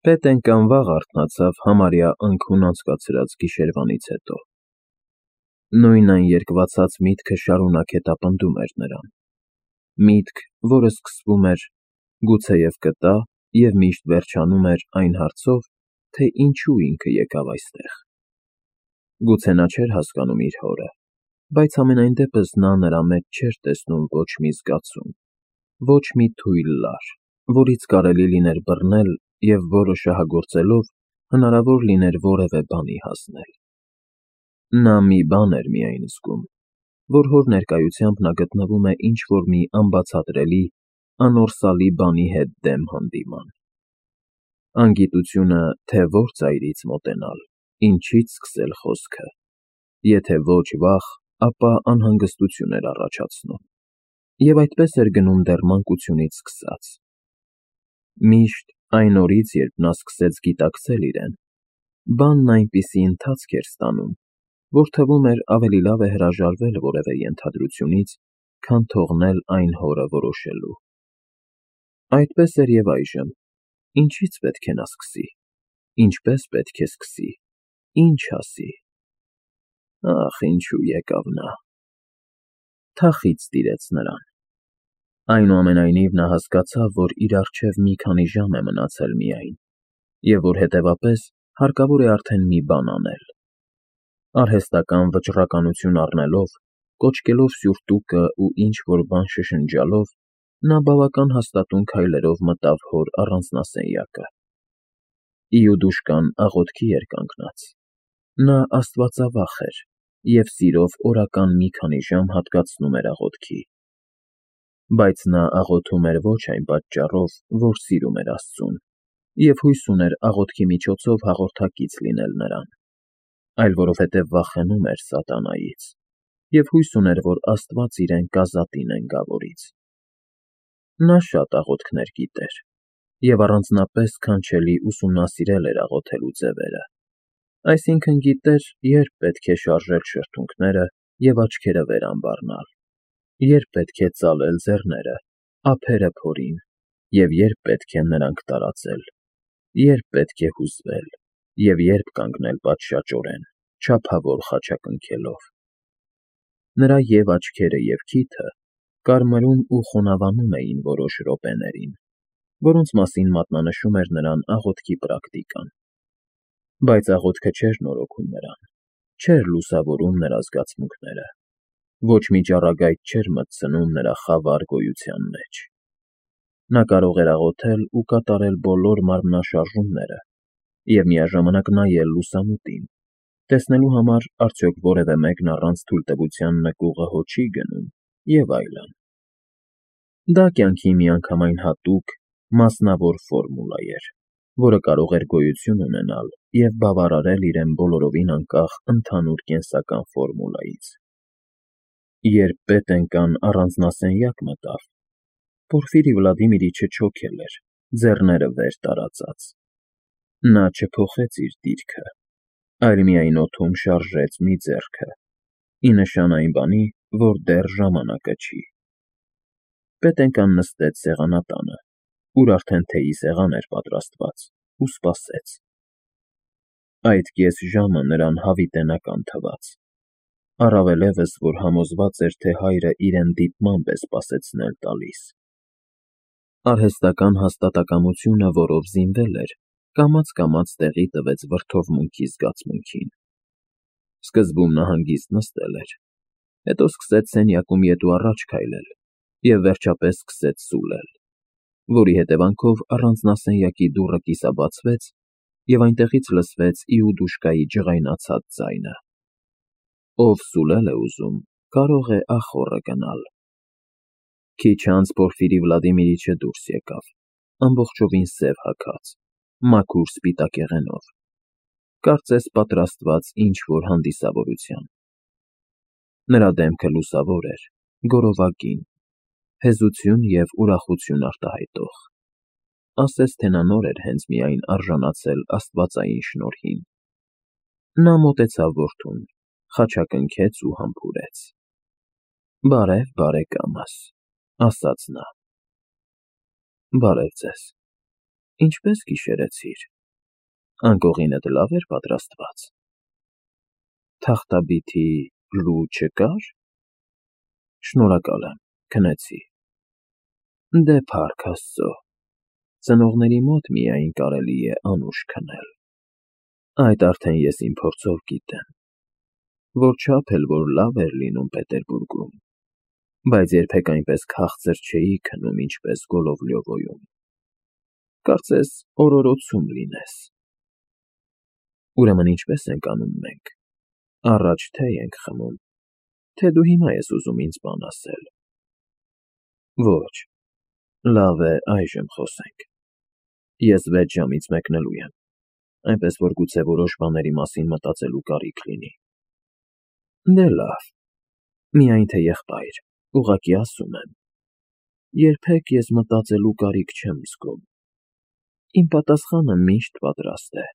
Պետեն կամ վաղ արթնացավ համարյա անքուն անցկացրած գիշերվանից հետո։ Նույն այն երկվացած միտքը շարունակ հետապնդում էր նրան։ Միտք, որը սկսվում էր գուցեև կտա և միշտ վերջանում էր այն հարցով, թե ինչու ինքը եկավ այստեղ։ Գուցե նա չէր հասկանում իր հորը, բայց համենայն դեպս նա նրա մեջ չէր տեսնում ոչ մի զգացում, ոչ մի թույլ լար, որից կարելի լիներ բռնել և որը շահագործելով հնարավոր լիներ որևէ բանի հասնել։ Նա մի բան էր միայն զգում, որ հոր ներկայությամբ նա գտնվում է ինչ-որ մի անբացատրելի, անորսալի բանի հետ դեմ հանդիման։ Անգիտությունը, թե որ ծայրից մոտենալ, ինչից սկսել խոսքը, եթե ոչ վախ, ապա անհանգստություն էր առաջացնում, և այդպես էր գնում դեռ մանկությունից սկսած։ Միշտ այն օրից, երբ նա սկսեց գիտակցել իրեն, բանն այնպիսի ընթացք էր ստանում, որ թվում էր ավելի լավ է հրաժարվել որևէ ենթադրությունից, քան թողնել այն հորը որոշելու։ Այդպես էր և այժմ, ինչից պետք է նա սկսի, ինչպես պետք է սկսի, ինչ ասի։ Ախ, ինչու եկավ նա։ Թախիծ տիրեց նրան։ Այնուամենայնիվ նա հասկացավ, որ իր առջև մի քանի ժամ է մնացել միայն, և որ հետևապես հարկավոր է արդեն մի բան անել։ Արհեստական վճռականություն առնելով, կոչկելով սյուրտուկը ու ինչ-որ բան շշնջալով, նա բավական հաստատուն քայլերով մտավ հոր առանձնասենյակը։ Իուդուշկան աղոթքի էր կանգնած։ Նա աստվածավախ էր և սիրով օրական մի քանի ժամ հատկացնում էր աղոթքի։ Բայց նա աղոթում էր ոչ այն պատճառով, որ սիրում էր Աստծուն, և հույս ուներ աղոթքի միջոցով հաղորդակից լինել նրան, այլ որովհետև վախենում էր սատանայից և հույս ուներ, որ Աստված իրեն կազատի նենգավորից։ Նա շատ աղոթքներ գիտեր և առանձնապես քանչելի ուսումնասիրել էր աղոթելու ձևերը, այսինքն գիտեր, երբ պետք է շարժել շրթունքները և աչքերը վեր անվառնալ, երբ պետք է ծալել ձեռները, ափերը փորին, և երբ պետք է նրանք տարածել, երբ պետք է հուզվել և երբ կանգնել պատշաճորեն, չափավոր խաչակնքելով։ Նրա և՛ աչքերը, և քիթը կարմրում ու խոնավանում էին որոշ րոպեներին, որոնց մասին մատնանշում էր նրան աղոթքի պրակտիկան։ Բայց աղոթքը չէր նորոգում նրան, չէր լուսավորում նրա զգացմունքները, ոչ մի ճառագայթ չէր մտցնում նրա խավար գոյության մեջ։ Նա կարող էր աղոթել ու կատարել բոլոր մարմնաշարժումները և միաժամանակ նայել լուսամուտին, տեսնելու համար արդյոք որևէ մեկն առանց թույլտվության նկուղը հո չի գնում և այլն։ Դա կյանքի միանգամայն հատուկ, մասնավոր ֆորմուլա էր, որը կարող էր գոյություն ունենալ և բավարարել իրեն բոլորովին անկախ ընդհանուր կենսական ֆորմուլայից։ Երբ Պետենկան առանձնասենյակ մտավ, Պորֆիրի Վլադիմիրիչը չոքել էր, ձեռները վեր տարածած։ Նա չփոխեց իր դիրքը, այլ միայն օդում շարժեց մի ձեռքը, ի նշան այն բանի, որ դեռ ժամանակը չի։ Պետենկան նստեց սեղանատանը, ուր արդեն թեյի սեղան էր պատրաստված, ու սպասեց։ Այդ կես ժամը նրան հավիտենական թվաց, առավելևս, որ համոզված էր, թե հայրը իրեն դիտմամբ է սպասեցնել տալիս։ Արհեստական հաստատակամությունը, որով զինվել էր, կամաց տեղի տվեց վրդովմունքի զգացմունքին։ Սկզբում նա հանգիստ նստել էր, հետո սկսեց սենյակում ետ ու առաջ քայլել և վերջապես սկսեց սուլել, որի հետևանքով առանձնասենյակի դուռը կիսաբացվեց, և այնտեղից լսվեց Իուդուշկայի ջղայնացած ձայնը. «Ով սուլել է ուզում, կարող է ախոռը գնալ»։ Քիչ անց Պորֆիրի Վլադիմիրիչը դուրս եկավ, ամբողջովին սև հագած, մաքուր սպիտակեղենով, կարծես պատրաստված ինչ-որ հանդիսավորության։ Նրա դեմքը լուսավոր էր, գորովագին, հեզություն և ուրախություն արտահայտող, ասես թե նա նոր էր հենց միայն արժանացել աստվածային շնորհին։ Նա մոտեցավ որդուն, խաչակնքեց ու համբուրեց։ «Բարև, բարեկամս», ասաց նա։ «Բարև ձեզ, ինչպե՞ս գիշերեցիր»։ Անկողինդ լավ էր պատրաստված։ Թախտաբիթի լու չկար։ Շնորհակալ եմ, քնեցի։ Դե փառք Աստծո, ծնողների մոտ միայն կարելի է անուշ քնել։ Այդ արդեն ես իմ փորձով գիտեմ, որչափ էլ որ լավ էր լինում Պետերբուրգում, բայց երբեք այնպես քաղցր չէի քնում, ինչպես Գոլովլյովոյում։ Կարծես օրորոցում լինես։ Ուրեմն ինչպես ենք անում մենք։ Առաջ թե ենք խմում, թե դու հիմա ես ուզում ինձ բան ասել։ Ոչ, լավ է այժմ խոսենք։ Ես 6 ժամից մեկնելու եմ, այնպես որ գուցե որոշ բաների մասին մտածելու կարիք լինի։ Դե լավ, միայն թե եղբայր, ուղղակի ասում եմ, երբեք ես մտածելու կարիք չեմ զգում։ Իմ պատասխանը միշտ պատրաստ է։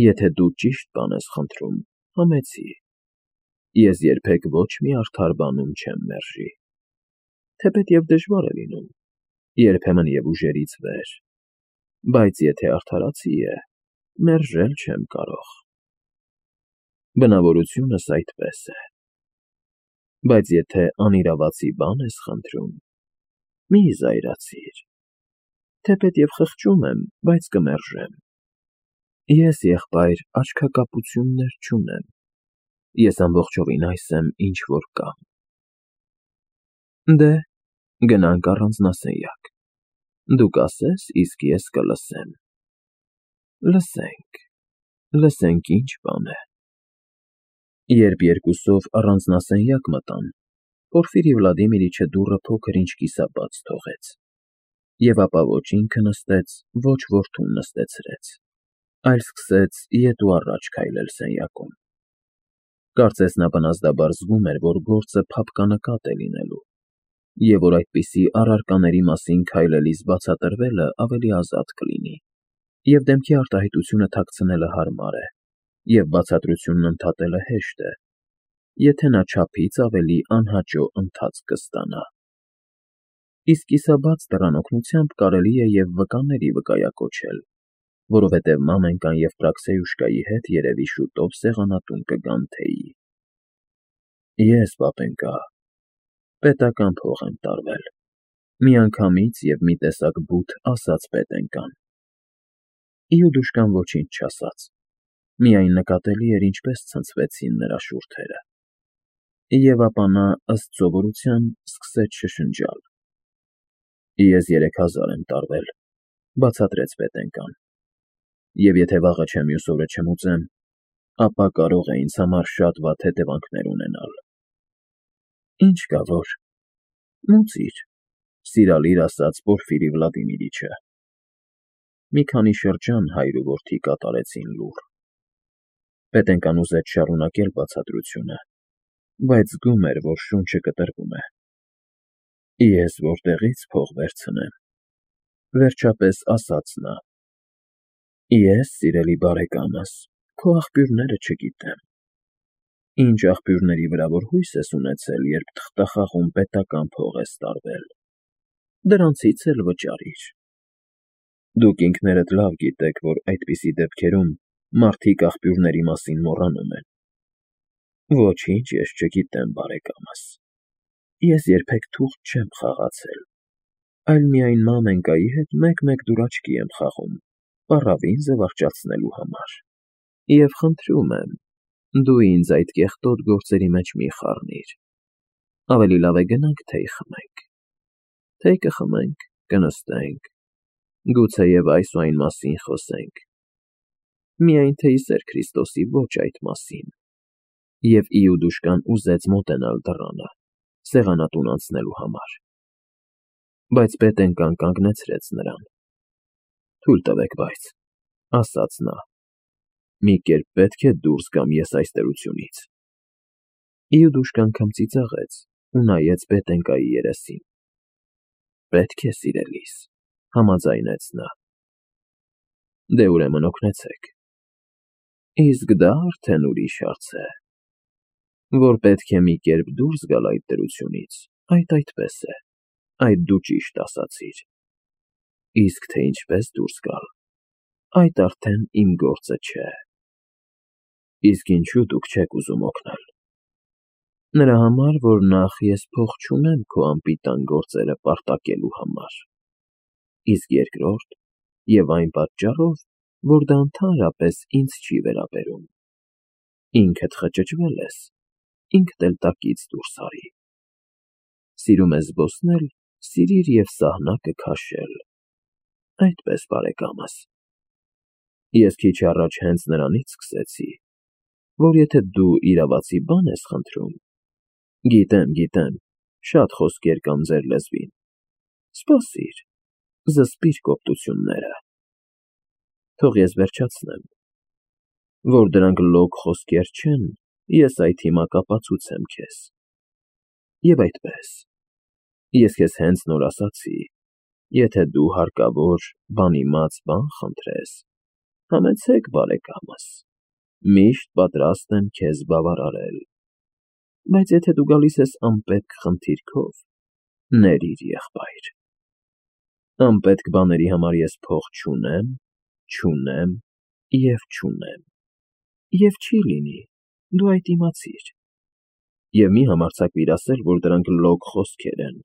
Եթե դու ճիշտ բան ես խնդրում, համեցի։ Ես երբեք ոչ մի արդար բանում չեմ մերժի։ Թեպետև դժվար է լինում, երբեմն և ուժերից վեր, բայց եթե արդարացի է, մերժել չեմ կարող։ Բնավորությունս այդպես է։ Բայց եթե անիրավացի բան ես խնդրում, մի զայրացիր։ Թեպետև խղճում եմ, բայց կմերժեմ։ Ես, եղբայր, աչքակապություններ չունեմ։ Ես ամբողջովին այս եմ, ինչ որ կամ։ Դե, գնանք առանձնասենյակ։ Դու կասես, իսկ ես կլսեմ։ Լսենք ինչ բան է։ Երբ երկուսով առանձնասենյակ մտան, Պորֆիրի Վլադիմիրիչը դուռը փոքր-ինչ կիսաբաց թողեց, և ապա ոչ ինքը նստեց, ոչ որդուն նստեցրեց, այլ սկսեց ետ ու առաջ քայլել սենյակում։ Կարծես նա բնազդաբար զգում էր, որ գործը փափկանկատ է լինելու, և որ այդպիսի առարկաների մասին քայլելիս բացատրվելը ավելի ազատ կլինի, և դեմքի արտահայտությունը թաքցնելը հարմար է, և բացատրությունն ընդհատելը հեշտ է, եթե նա չափից ավելի անհաճո ընթացք կստանա։ Իսկ կիսաբաց դռան օգնությամբ կարելի է և վկաների վկայակոչել, որովհետև Մամենկան և Պրաքսեյուշկայի հետ երևի շուտով սեղանատուն կգան թեյի։ Ես, պապենկա, պետական փող եմ տարվել, միանգամից և մի տեսակ բութ ասաց պետենկան։ Իուդուշկան ոչինչ չասաց, միայն նկատելի էր ինչպես ցնցվեցին նրա շուրթերը։ Եվ ապա նա, ըստ սովորության, սկսեց շշնջալ։ Ես 3000 եմ տարվել, բացատրեց պետենկան, և եթե վաղը չէ մյուս օրը չմուծեմ, ապա կարող է ինձ համար շատ վատ հետևանքներ ունենալ։ Ինչ կա որ, մուծիր, սիրալիր ասաց Պորֆիրի Վլադիմիրիչը։ Մի քանի շրջան հայր ու որդի կատարեցին լուռ։ Պետենկան ուզեց շարունակել բացատրությունը, բայց զգում էր, որ շունչը կտրվում է։ Ես որտեղի՞ց փող վերցնեմ, վերջապես ասաց նա։ Ես, սիրելի բարեկամս, քո աղբյուրները չգիտեմ։ Ինչ աղբյուրների վրա որ հույս ես ունեցել, երբ թղթախաղում պետական փող ես տարվել, դրանցից էլ վճարիր։ Դուք ինքներդ լավ գիտեք, որ այդպիսի դեպքերում մարդիկ աղբյուրների մասին մոռանում են։ Ոչինչ ես չգիտեմ, բարեկամս։ Ես երբեք թուղթ չեմ խաղացել, այլ միայն Մամենկայի հետ մեկ-մեկ դուրաչքի եմ խաղում, պառավին զվարճացնելու համար։ Եվ խնդրում եմ, դու ինձ այդ կեղտոտ գործերի մեջ մի խառնիր։ Ավելի լավ է գնանք թեյ խմենք։ Թեյ կխմենք, կնստենք, գուցեև այս ու այն մասին խոսենք։ Միայն թե ի սեր Քրիստոսի ոչ այդ մասին։ Եվ Իուդուշկան ուզեց մոտենալ դռանը, սեղանատուն անցնելու համար։ Բայց պետենկան կանգնեցրեց նրան։ Թույլ տվեք, բայց, ասաց նա, մի կերպ պետք է դուրս գամ ես այս տերությունից։ Իուդուշկան քմծիծաղեց ու նայեց պետենկայի երեսին։ Պետք է, սիրելիս, համաձայնեց նա։ Դե ուրեմն օգնեցեք։ Իսկ դա արդեն ուրիշ հարց է։ Որ պետք է մի կերպ դուրս գալ այդ տերությունից, այդպես է, այդ դու ճիշտ ասացիր։ Իսկ թե ինչպես դուրս գալ, այդ արդեն իմ գործը չէ։ Իսկ ինչու դուք չեք ուզում օգնել։ Նրա համար, որ նախ ես փող չունեմ քո անպիտան գործերը պարտակելու համար, իսկ երկրորդ, եւ այն պատճառով, որ դա ընդհանրապես ինձ չի վերաբերում։ Ինքդ խճճվել ես, ինքդ էլ տակից դուրս արի։ Սիրում ես զբոսնել, սիրիր և սահնակը քաշել։ Այդպես բարեկամս։ Ես քիչ առաջ հենց նրանից սկսեցի, որ եթե դու իրավացի բան ես խնդրում, գիտեմ, շատ խոսքեր կան ձեր լեզվին, սպասիր, զսպիր կոպտությունները։ Թող ես վերջացնեմ, որ դրանք լոկ խոսքեր չեն, ես այդ հիմա կապացուցեմ քեզ։ Եվ այդպես, ես քեզ հենց նոր ասացի, եթե դու հարկավոր, բանիմաց բան խնդրես, համեցեք բարեկամս, միշտ պատրաստ եմ քեզ բավարարել, բայց եթե դու գալիս ես անպետք խնդիրքով, ներիր, եղբայր։ Անպետք բաների համար ես փող չունեմ և չի լինի, դու այդ իմացիր։ Եվ մի համարձակվիր ասել, որ դրանք լոկ խոսքեր են,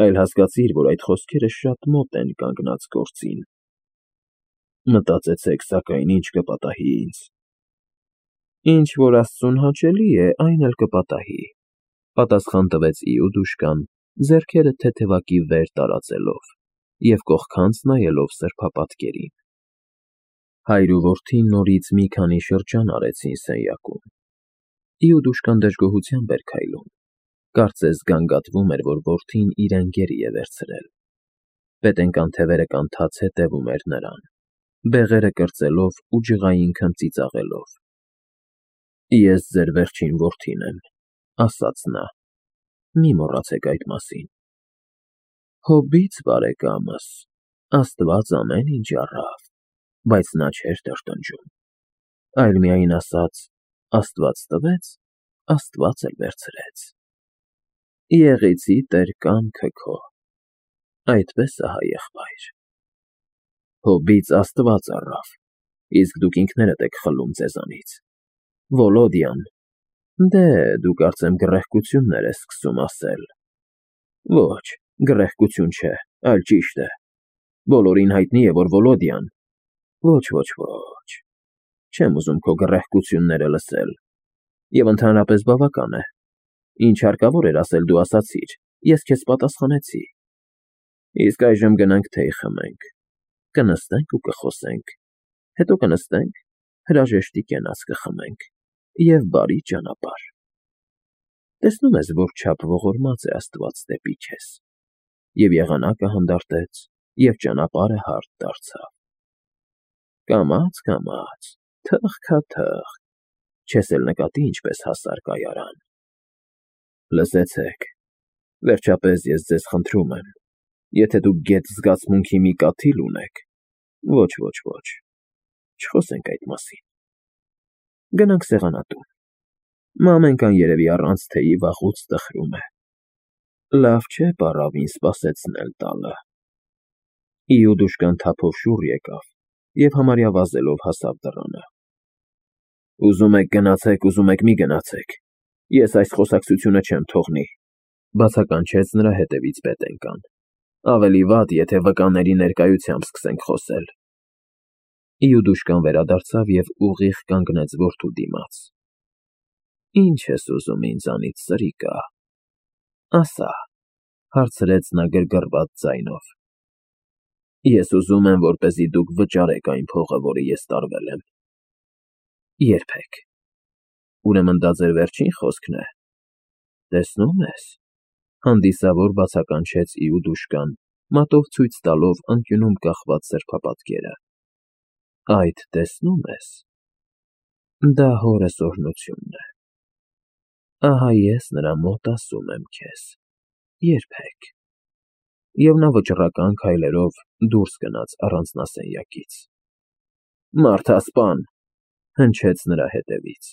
այլ հասկացիր, որ այդ խոսքերը շատ մոտ են կանգնած գործին։ Մտածեցեք, սակայն ինչ կպատահի ինձ։ Ինչ որ Աստծուն հաճելի է, այն էլ կպատահի, պատասխան տվեց Իուդուշկան, ձեռքերը թեթևակի վեր տարածելով և կողքանց նայելով սրբապատկերին։ Հայր ու որդի նորից մի քանի շրջան արեցին սենյակում։ Իուդուշկան դժգոհությամբ էր քայլում, կարծես գանգատվում էր, որ որդին իրեն գերի է վերցրել։ Պետենկան թևերը կանթած հետևում էր նրան, բեղերը կրծելով ու ջղայինքն ծիծաղելով։ Ես ձեր վերջին որդին եմ, ասաց նա, մի մոռացեք այդ մասին։ Հոբից բարեկամս, Աստված ամեն ինչ առավ, բայց նա չէր տրտնջում, այլ միայն ասաց. Աստված տվեց, Աստված էլ վերցրեց։ Եղեցի Տեր կամքը քո, այդպես ահա եղբայր։ Հոբից Աստված առավ, իսկ դուք ինքներդ եք խլում ձեզանից։ Վոլոդյան, դու կարծեմ գռեհկություններ ես սկսում ասել։ Ոչ, գռեհկություն չէ, այլ ճիշտ է։ Բոլորին հայտնի է, որ Վոլոդյան։ Ոչ, չեմ ուզում քո գռեհկությունները լսել։ Եվ ընդհանրապես բավական է։ Ինչ հարկավոր էր ասել, դու ասացիր, ես քեզ պատասխանեցի։ Իսկ այժմ գնանք թեյ խմենք, կնստենք ու կխոսենք, հետո կնստենք, հրաժեշտի կենաց կխմենք և բարի ճանապարհ։ Տեսնում ես, որչափ ողորմած է Աստված դեպի քեզ։ Եվ եղանակը հանդարտեց, և ճանապարհը հարթ դարձավ։ Կամաց, թխքաթխ, չես էլ նկատի ինչպես հասար կայարան։ Լսեցեք, վերջապես ես ձեզ խնդրում եմ, եթե դուք գեթ զգացմունքի մի կաթիլ ունեք, ոչ, չխոսենք այդ մասին։ Գնանք սեղանատուն, մամենքան երևի առանց թեյի վաղուց տխրում է։ Լավ չէ պառավին սպասեցնել տալը։ Իուդուշկան թափով շուռ եկավ և համարյա վազելով հասավ դռանը։ Ուզում եք գնացեք, ուզում եք մի գնացեք, ես այս խոսակցությունը չեմ թողնի, բացականչեց նրա հետևից պետենկան։ Ավելի վատ, եթե վկաների ներկայությամբ սկսենք խոսել։ Իուդուշկան վերադարձավ և ուղիղ կանգնեց որդու դիմաց։ Ինչ ես ուզում ինձանից, սրիկա։ Ասա, հարցրեց նա գրգռված ձայնով։ Ես ուզում եմ, որպեսզի դուք վճարեք այն փողը, որը ես տարվել եմ։ Երբեք։ Ուրեմն դա ձեր վերջին խոսքն է։ Տեսնում ես, հանդիսավոր բացականչեց Իուդուշկան, մատով ցույց տալով անկյունում կախված սրբապատկերը։ Այդ տեսնում ես, դա հորս օրհնությունն է։ Ահա ես նրա մոտ ասում եմ քեզ. երբեք։ Եվ նա վճռական քայլերով դուրս գնաց առանձնասենյակից։ Մարդասպան, հնչեց նրա հետևից։